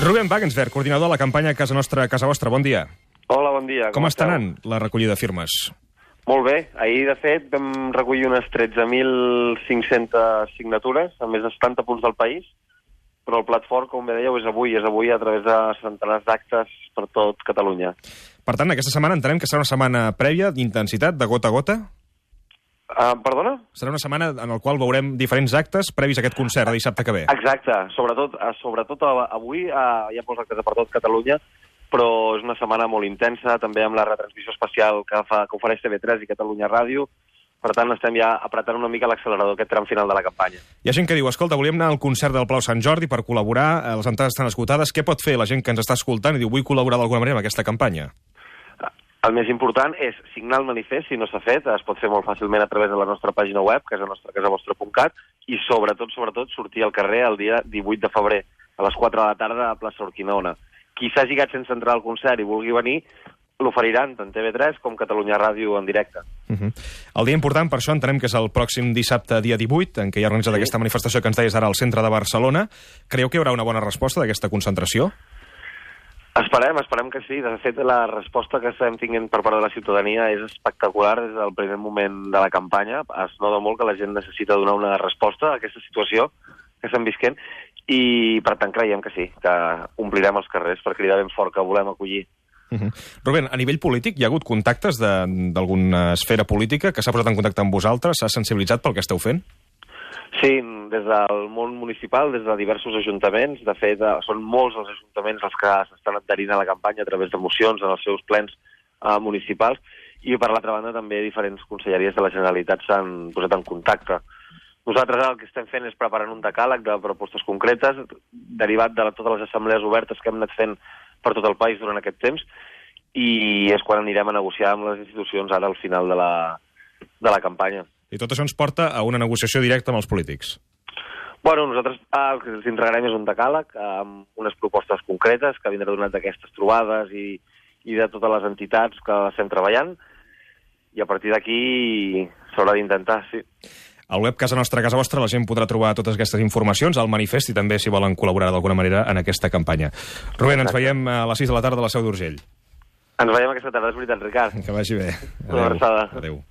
Rubén Wagensberg, coordinador de la campanya Casa Nostra, Casa Vostra. Bon dia. Hola, bon dia. Com està anant la recollida de firmes? Molt bé. Ahir, de fet, vam recollir unes 13.500 signatures a més de 70 punts del país, però el plat fort, com bé dèieu, és avui a través de centenars d'actes per tot Catalunya. Per tant, aquesta setmana entenem que serà una setmana prèvia d'intensitat, de gota a gota? Perdona? Serà una setmana en la qual veurem diferents actes previs a aquest concert de dissabte que ve. Exacte. Sobretot avui hi ha molts actes per tot Catalunya, però és una setmana molt intensa, també amb la retransmissió especial que ofereix TV3 i Catalunya Ràdio. Per tant, estem ja apretant una mica l'accelerador aquest tram final de la campanya. Hi ha gent que diu, escolta, volíem anar al concert del Palau Sant Jordi per col·laborar, les entrades estan esgotades, què pot fer la gent que ens està escoltant i diu, vull col·laborar d'alguna manera amb aquesta campanya? El més important és signar el manifest, si no s'ha fet, es pot fer molt fàcilment a través de la nostra pàgina web, casavostra.cat, i sobretot, sortir al carrer el dia 18 de febrer, a les 4 de la tarda a plaça Urquinaona. Qui s'hagi quedat sense entrar al concert i vulgui venir, l'oferiran tant TV3 com Catalunya Ràdio en directe. El dia important, per això, entenem que és el pròxim dissabte, dia 18, en què hi ha organitzat aquesta manifestació que ens deies ara al centre de Barcelona. Creieu que hi haurà una bona resposta d'aquesta concentració? Esperem que sí. De fet, la resposta que estem tinguent per part de la ciutadania és espectacular des del primer moment de la campanya. Es nota molt que la gent necessita donar una resposta a aquesta situació que estem visquent i, per tant, creiem que sí, que omplirem els carrers per cridar ben fort que volem acollir. Rubén, a nivell polític hi ha hagut contactes d'alguna esfera política que s'ha posat en contacte amb vosaltres? S'ha sensibilitzat pel que esteu fent? Sí, des del món municipal, des de diversos ajuntaments. De fet, són molts els ajuntaments els que s'estan adherint a la campanya a través de mocions en els seus plens municipals i, per l'altra banda, també diferents conselleries de la Generalitat s'han posat en contacte. Nosaltres el que estem fent és preparant un decàleg de propostes concretes derivat de totes les assemblees obertes que hem anat fent per tot el país durant aquest temps i és quan anirem a negociar amb les institucions ara al final de la campanya. I tot això ens porta a una negociació directa amb els polítics? Bueno, nosaltres el que ens entregarem és un decàleg amb unes propostes concretes que vindrà donat d'aquestes trobades i de totes les entitats que estem treballant i a partir d'aquí s'haurà d'intentar, sí. Al web Casa Nostra, Casa Vostra, la gent podrà trobar totes aquestes informacions, al manifest i també si volen col·laborar d'alguna manera en aquesta campanya. Rubén, ens veiem a les 6 de la tarda a la Seu d'Urgell. Ens veiem aquesta tarda, és veritat, Ricard. Que vagi bé. Una abraçada. Adéu.